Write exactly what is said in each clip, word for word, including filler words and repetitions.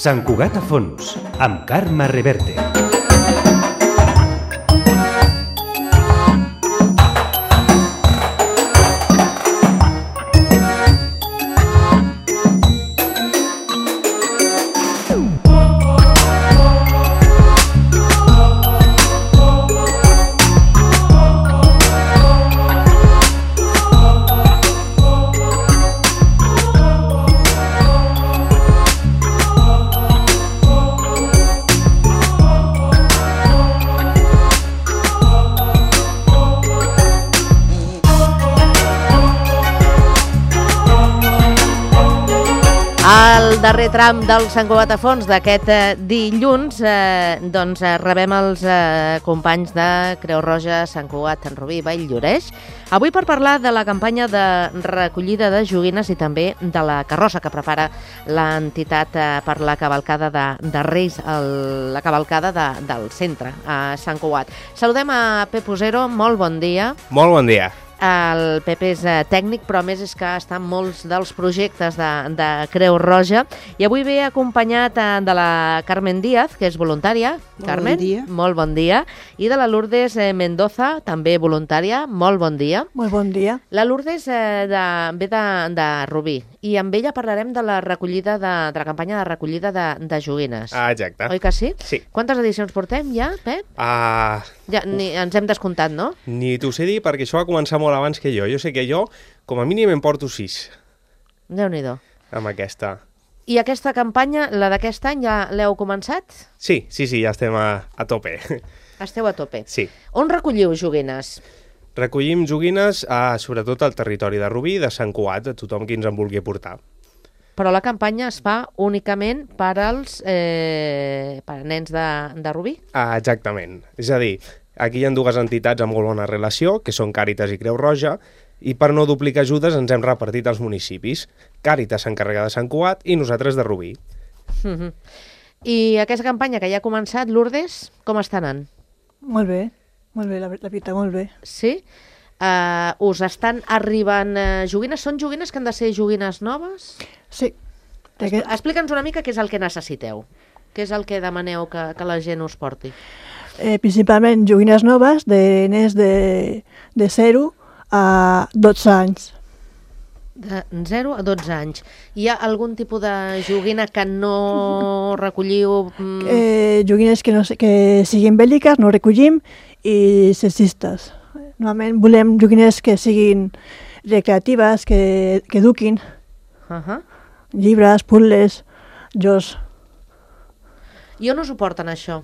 Sant Cugat a fons, amb Carme Reverte. Al darrer tram del Sant Cugat a fons d'aquest eh, dilluns eh, doncs eh, rebem els eh, companys de Creu Roja, Sant Cugat, Sant Rubí, Vall-lloreix, avui per parlar de la campanya de recollida de joguines i també de la carrossa que prepara l'entitat eh, per la cavalcada de, de Reis, el, la cavalcada de, del centre, a Sant Cugat. Saludem a Pep Osero, molt bon dia. Molt bon dia. El Pep és eh, tècnic, però a més és que està en molts dels projectes de, de Creu Roja i avui ve acompanyat eh, de la Carmen Díaz, que és voluntària. Molt Carmen, bon dia. Molt bon dia. I de la Lourdes eh, Mendoza, també voluntària. Molt bon dia. Molt bon dia. La Lourdes eh, de, ve de, de Rubí i amb ella parlarem de la recollida de, de la campanya de recollida de, de joguines. Ah, exacte. Oi que sí? Sí. Quantes edicions portem ja, Pep? Ah, Ja, ni, ens hem descomptat, no? ni t'ho sé dir perquè això va començar molt abans que jo. Jo sé que jo, com a mínim, em porto sis Déu-n'hi-do. amb aquesta. I aquesta campanya, la d'aquest any, ja l'heu començat? Sí, sí, sí, ja estem a, a tope. Esteu a tope. Sí. On recolliu joguines? Recollim joguines, a, sobretot al territori de Rubí, de Sant Cugat, a tothom qui ens en vulgui portar. Però la campanya es fa únicament per als eh, per a nens de, de Rubí? Ah, exactament. És a dir, aquí hi ha dues entitats amb molt bona relació, que són Càritas i Creu Roja, i per no duplicar ajudes ens hem repartit als municipis. Càritas s'encarrega de Sant Cugat i nosaltres de Rubí. Uh-huh. I aquesta campanya que ja ha començat, Lourdes, com està anant? Molt bé, molt bé, la, la veritat, molt bé. Sí? Uh, us estan arribant uh, joguines? Són joguines que han de ser joguines noves? Sí. Expl Explica'ns una mica què és el que necessiteu. Què és el que demaneu que, que la gent us porti? Eh, principalment joguines noves de nens de, de zero a dotze anys. De zero a dotze anys. Hi ha algun tipus de joguina que no recolliu? Mm. Eh, joguines que, no, sé- que siguin bèl·liques, no recollim, i sexistes. Normalment volem joguines que siguin recreatives, que, que eduquin, Uh -huh. llibres, puzzles, jocs. I on us ho porten, això?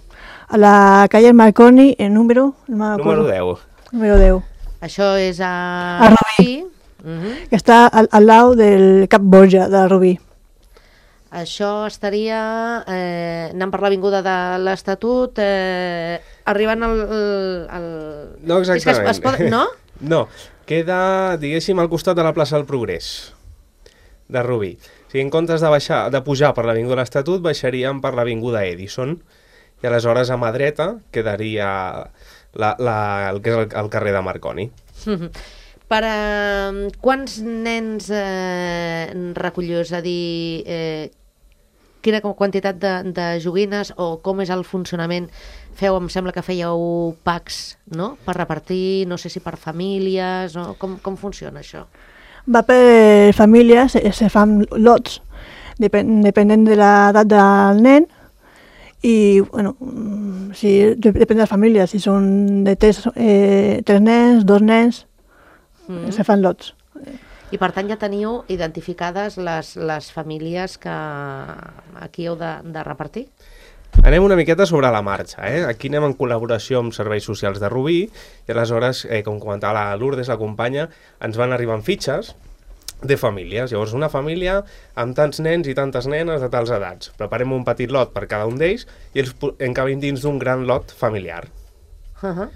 A la calle Marconi, el número... No Número deu. Número deu. Això és a... A Rubí. Uh -huh. Que està al, al lau del Cap Borja de Rubí. Això estaria eh, anant per l'avinguda de l'Estatut, eh, arribant al... al, al... No És que es, exactament. es pot... No? No, queda, diguéssim, al costat de la plaça del Progrés, de Rubí. O sigui, en comptes de, baixar, de pujar per l'avinguda de l'Estatut, baixaríem per l'avinguda Edison, i aleshores a mà dreta quedaria la, la, el que és el, el carrer de Marconi. Per a quants nens eh, recolliu? És a dir, eh, quina quantitat de, de joguines o com és el funcionament? Feu, em sembla que fèieu packs, no?, per repartir, no sé si per famílies, o com, com funciona això? Va per famílies, se, se fan lots, depèn, depenent de l'edat del nen, i, bueno, mm, si, depèn de les famílies, si són de tres, eh, tres nens, dos nens, Mm. se fan lots. I per tant ja teniu identificades les, les famílies que aquí heu de, de repartir? Anem una miqueta sobre la marxa, eh? Aquí anem en col·laboració amb Serveis Socials de Rubí i aleshores, eh, com comentava la Lourdes, la companya, ens van arribant fitxes de famílies. Llavors, una família amb tants nens i tantes nenes de tals edats. Preparem un petit lot per cada un d'ells i els encabim dins d'un gran lot familiar. Uh -huh.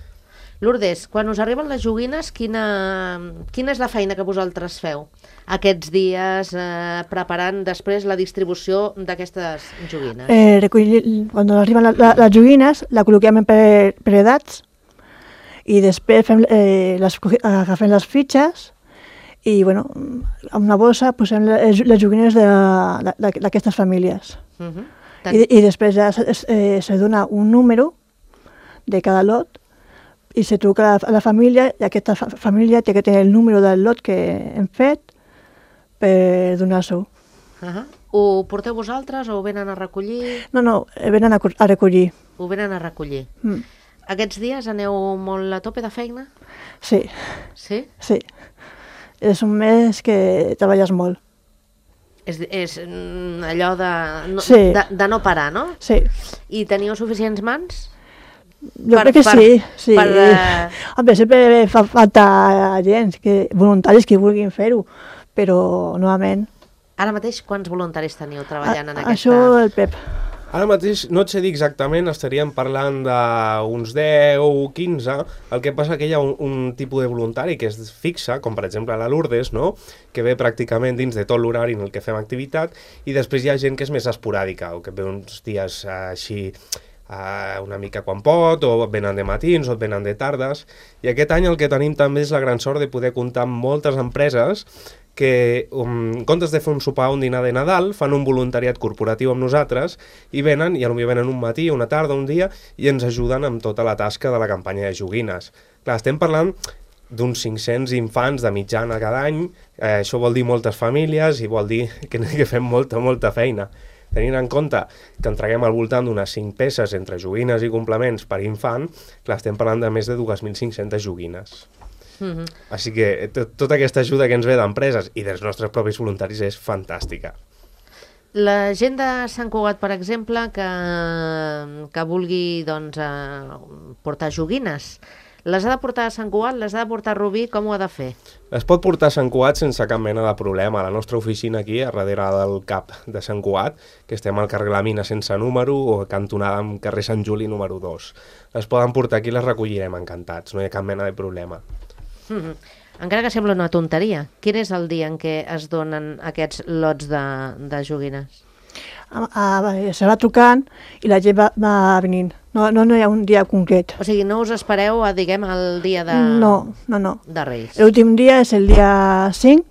Lourdes, quan us arriben les joguines, quina, quina és la feina que vosaltres feu aquests dies eh, preparant després la distribució d'aquestes joguines? Eh, recollir, quan arriben la, la, les joguines, la col·loquem per, per edats i després fem, eh, les, agafem les fitxes i, bueno, amb una bossa posem les, les joguines d'aquestes famílies. Uh -huh. I, i després ja se, eh, se dona un número de cada lot i se truca a la, a la família i aquesta fa família té que tenir el número del lot que hem fet per donar-s'ho. Uh -huh. Ho porteu vosaltres o ho venen a recollir? No, no, venen a, a recollir. Ho venen a recollir. Mm. Aquests dies aneu molt a tope de feina? Sí. Sí? Sí. És un mes que treballes molt. És, és allò de no, sí. de, de no parar, no? Sí. I teniu suficients mans? Jo per, crec que per, sí. sí. Per, uh... Home, sempre fa falta gent, que, voluntaris que vulguin fer-ho, però novament... Ara mateix quants voluntaris teniu treballant a, en aquesta... Això el Pep. Ara mateix no et sé dir exactament, estaríem parlant d'uns deu o quinze, el que passa que hi ha un, un tipus de voluntari que és fixa, com per exemple la Lourdes, no? Que ve pràcticament dins de tot l'horari en el que fem activitat, i després hi ha gent que és més esporàdica, o que ve uns dies uh, així uh, una mica quan pot, o et venen de matins o et venen de tardes, i aquest any el que tenim també és la gran sort de poder comptar amb moltes empreses que um, en comptes de fer un sopar o un dinar de Nadal, fan un voluntariat corporatiu amb nosaltres i venen, i potser venen un matí, una tarda, un dia, i ens ajuden amb tota la tasca de la campanya de joguines. Clar, estem parlant d'uns cinc-cents infants de mitjana cada any, eh, això vol dir moltes famílies i vol dir que, que fem molta, molta feina. Tenint en compte que entreguem al voltant d'unes cinc peces entre joguines i complements per infant, clar, estem parlant de més de dos mil cinc-centes joguines. Mm-hmm. Així que tot, tota aquesta ajuda que ens ve d'empreses i dels nostres propis voluntaris és fantàstica. La gent de Sant Cugat, per exemple, que, que vulgui doncs, eh, portar joguines, les ha de portar a Sant Cugat, les ha de portar a Rubí, com ho ha de fer? Es pot portar a Sant Cugat sense cap mena de problema. A la nostra oficina aquí, a darrere del cap de Sant Cugat, que estem al carrer La Mina sense número o cantonada amb carrer Sant Juli número dos. Les poden portar aquí i les recollirem encantats, no hi ha cap mena de problema. Mm-hmm. Encara que sembla una tonteria, quin és el dia en què es donen aquests lots de, de joguines? Ah, ah, se va trucant i la gent va, va venint. No, no, no hi ha un dia concret. O sigui, no us espereu a, diguem, el dia de, no, no, no. de Reis? L'últim dia és el dia cinc,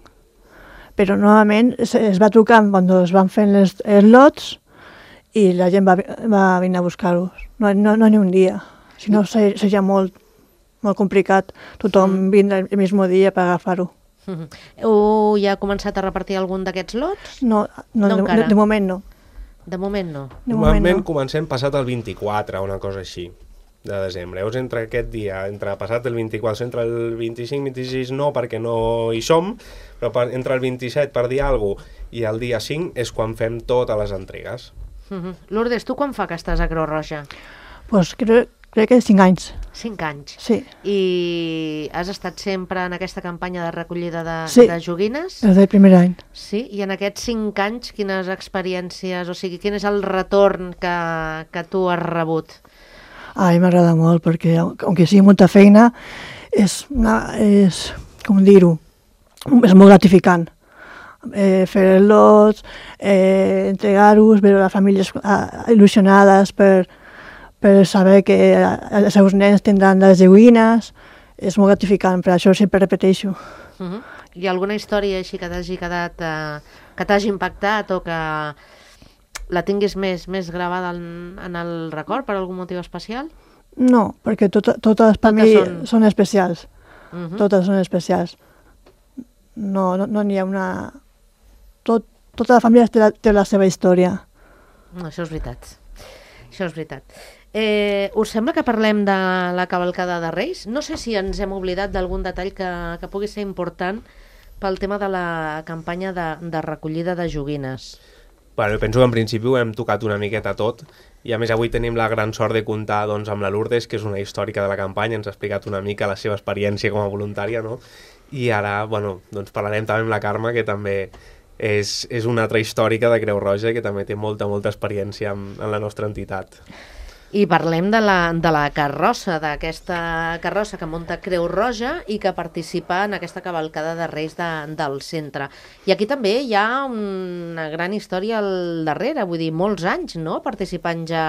però novament es, es va trucant quan es van fent les, els lots i la gent va, va venir a buscar-los. No, no, no ni un dia, si no seria molt, molt complicat tothom mm. vindre el mismo dia per agafar-ho. Mm-hmm. Heu ja començat a repartir algun d'aquests lots? No, no, no de, de, de moment no. De moment no? De Normalment moment no. Comencem passat el vint-i-quatre, una cosa així, de desembre. Llavors entre aquest dia, entre passat el vint-i-quatre, entre el vint-i-cinc vint-i-sis no, perquè no hi som, però per, entre el vint-i-set, per dir alguna cosa, i el dia cinc és quan fem totes les entregues. Mm-hmm. Lourdes, tu quan fa que estàs a Creu Roja? Pues crec, crec que cinc anys. Cinc anys? Sí. I has estat sempre en aquesta campanya de recollida de, sí. de joguines? Sí, del primer any. Sí? I en aquests cinc anys, quines experiències, o sigui, quin és el retorn que, que tu has rebut? Ai, m'agrada molt, perquè, aunque sigui molta feina, és, una, és com dir-ho, és molt gratificant. Eh, fer els lots, eh, entregar-los, veure les famílies eh, il·lusionades per, per saber que els seus nens tindran les joguines, és molt gratificant, per això sempre repeteixo. Uh-huh. Hi ha alguna història així que t'hagi quedat, eh, que t'hagi impactat o que la tinguis més, més gravada en, en el record per algun motiu especial? No, perquè tot, totes per mi són... són especials. Uh-huh. Totes són especials. No n'hi no, no ha una... Tot, tota la família té la, té la seva història. No, això és veritat. Això és veritat. Eh, us sembla que parlem de la cavalcada de Reis? No sé si ens hem oblidat d'algun detall que, que pugui ser important pel tema de la campanya de, de recollida de joguines. Bueno, penso que en principi ho hem tocat una miqueta tot i a més avui tenim la gran sort de comptar doncs, amb la Lourdes, que és una històrica de la campanya, ens ha explicat una mica la seva experiència com a voluntària, no? I ara bueno, doncs parlarem també amb la Carme, que també és, és una altra històrica de Creu Roja que també té molta, molta experiència en, en la nostra entitat. I parlem de la, de la carrossa, d'aquesta carrossa que munta Creu Roja i que participa en aquesta cavalcada de Reis de, del centre. I aquí també hi ha una gran història al darrere, vull dir, molts anys, no?, participant ja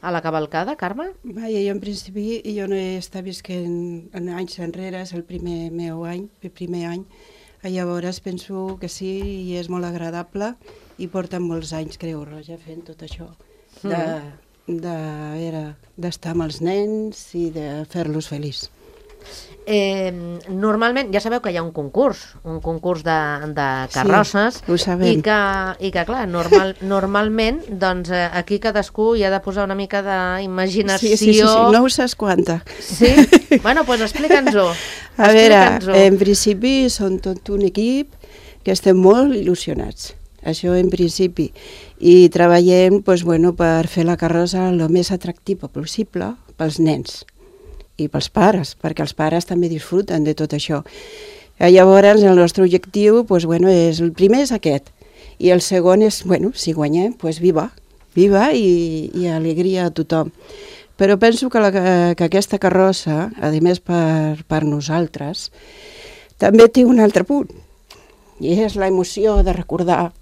a la cavalcada, Carme? Vaja, jo en principi jo no he estat visquent en anys enrere, és el primer meu any, el primer any. Llavors penso que sí, i és molt agradable i porten molts anys Creu Roja fent tot això. de, de, era, d'estar amb els nens i de fer-los feliços. Eh, normalment, ja sabeu que hi ha un concurs, un concurs de, de carrosses, sí, ho sabem. I que, i que clar, normal, normalment doncs, eh, aquí cadascú hi ha de posar una mica d'imaginació. Sí, sí, sí, sí, no ho saps quanta. Sí? Bueno, doncs explica'ns-ho. A veure, en principi són tot un equip que estem molt il·lusionats, això en principi, i treballem doncs, bueno, per fer la carrossa el més atractiva possible pels nens i pels pares, perquè els pares també disfruten de tot això. Llavors, el nostre objectiu, doncs, bueno, és, el primer és aquest, i el segon és, bueno, si guanyem, doncs viva, viva i, i alegria a tothom. Però penso que, la, que aquesta carrossa, a més per, per nosaltres, també té un altre punt, i és l'emoció de recordar...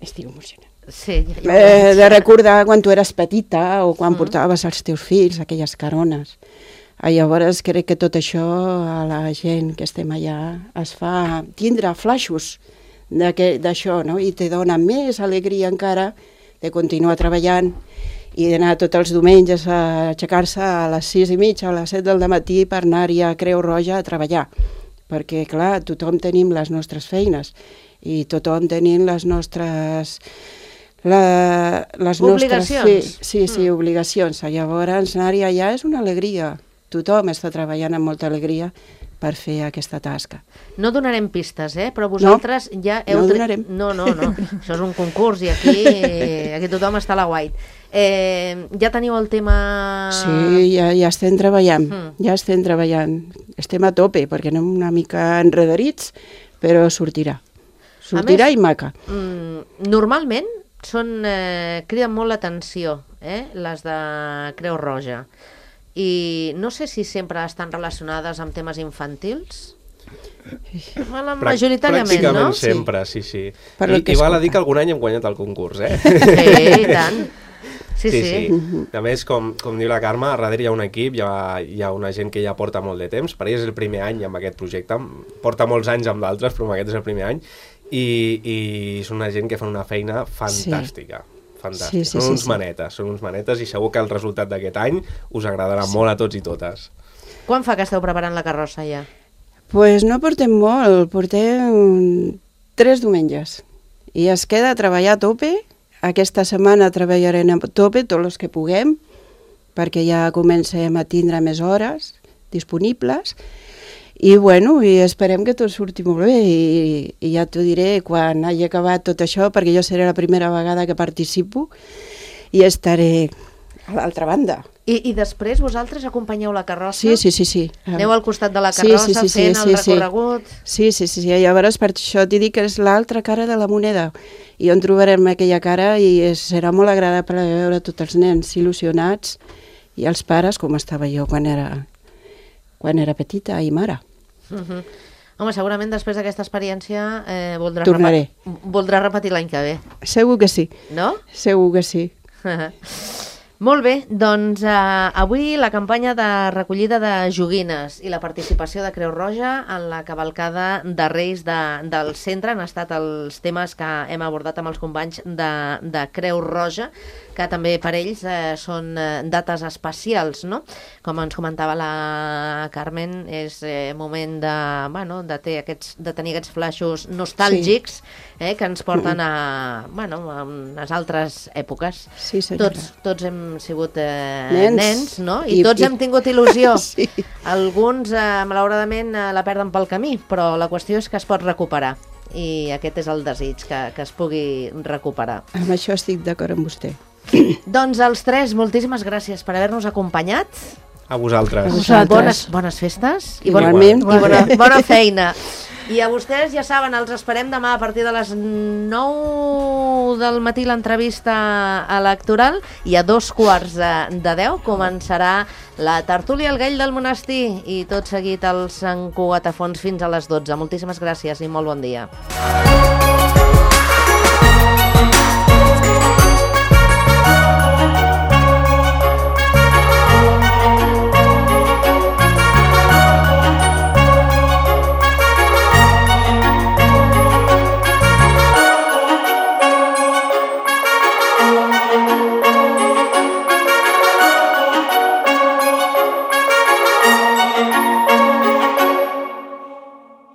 Estic emocionat. Sí, ja, ja eh, de recordar quan tu eres petita o quan mm. portaves els teus fills, aquelles carones. Llavors crec que tot això a la gent que estem allà es fa tindre flaixos d'això, no? I te dona més alegria encara de continuar treballant i d'anar tots els diumenges a aixecar-se a les sis i mitja, a les set del matí per anar-hi a Creu Roja a treballar. Perquè, clar, tothom tenim les nostres feines i tothom tenim les nostres... La, les obligacions. Nostres, sí, sí, sí, mm. obligacions. Llavors, anar-hi allà és una alegria. Tothom està treballant amb molta alegria per fer aquesta tasca. No donarem pistes, eh? Però vosaltres no, ja heu... No donarem. No, no, no. Això és un concurs i aquí, aquí tothom està a la guait. Eh, ja teniu el tema... Sí, ja, ja estem treballant, mm. ja estem treballant. Estem a tope, perquè anem una mica enredarits, però sortirà. Sortirà més, i maca. Mm, normalment són, eh, criden molt l'atenció, eh, les de Creu Roja. I no sé si sempre estan relacionades amb temes infantils. Bueno, majoritàriament, pràcticament no? sempre, sí, sí. sí. I, I val a dir que algun any hem guanyat el concurs, eh? Sí, i tant. Sí, sí. sí. sí. A més, com, com diu la Carme, a darrere hi ha un equip, hi ha, hi ha una gent que ja porta molt de temps. Per ell és el primer any amb aquest projecte. Porta molts anys amb d'altres, però amb aquest és el primer any. I, i són una gent que fan una feina fantàstica. Sí. Fantàstica. Sí, sí, són uns sí, sí. manetes, són uns manetes i segur que el resultat d'aquest any us agradarà sí. molt a tots i totes. Quan fa que esteu preparant la carrossa ja? Pues no portem molt, portem tres diumenges i es queda a treballar a tope. Aquesta setmana treballarem a tope tots els que puguem perquè ja comencem a tindre més hores disponibles i bueno, i esperem que tot surti molt bé i, i ja t'ho diré quan hagi acabat tot això perquè jo seré la primera vegada que participo i estaré a l'altra banda. I, I després vosaltres acompanyeu la carrossa? Sí, sí, sí. sí. Aneu al costat de la carrossa sí, sí, sí, fent sí, el sí, recorregut? Sí, sí, sí, sí. Llavors per això t'hi dic que és l'altra cara de la moneda i on trobarem aquella cara i és, serà molt agradable veure tots els nens il·lusionats i els pares com estava jo quan era, quan era petita i mare. Uh -huh. Home, segurament després d'aquesta experiència eh, voldrà, Tornaré. Repa voldrà repetir l'any que ve. Segur que sí. No? Segur que sí. Molt bé, doncs eh, avui la campanya de recollida de joguines i la participació de Creu Roja en la cavalcada de Reis de, del centre han estat els temes que hem abordat amb els companys de, de Creu Roja, que també per ells eh, són eh, dates especials, no? Com ens comentava la Carmen, és eh, moment de, bueno, de, ter aquests, de tenir aquests flaixos nostàlgics sí. eh, que ens porten a, bueno, a unes altres èpoques. Sí, tots, tots hem sigut eh, nens. nens, no? I, I tots i... hem tingut il·lusió. Sí. Alguns, eh, malauradament, eh, la perden pel camí, però la qüestió és que es pot recuperar. I aquest és el desig, que, que es pugui recuperar. Amb això estic d'acord amb vostè. Doncs els tres, moltíssimes gràcies per haver-nos acompanyat. A vosaltres. A vosaltres. Bones, bones festes i bona, Igualment. i bona, bona feina. I a vostès, ja saben, els esperem demà a partir de les nou del matí l'entrevista electoral i a dos quarts de, de deu començarà la tertúlia El Gall del Monestir i tot seguit el Sant Cugat a Fons fins a les dotze. Moltíssimes gràcies i molt bon dia.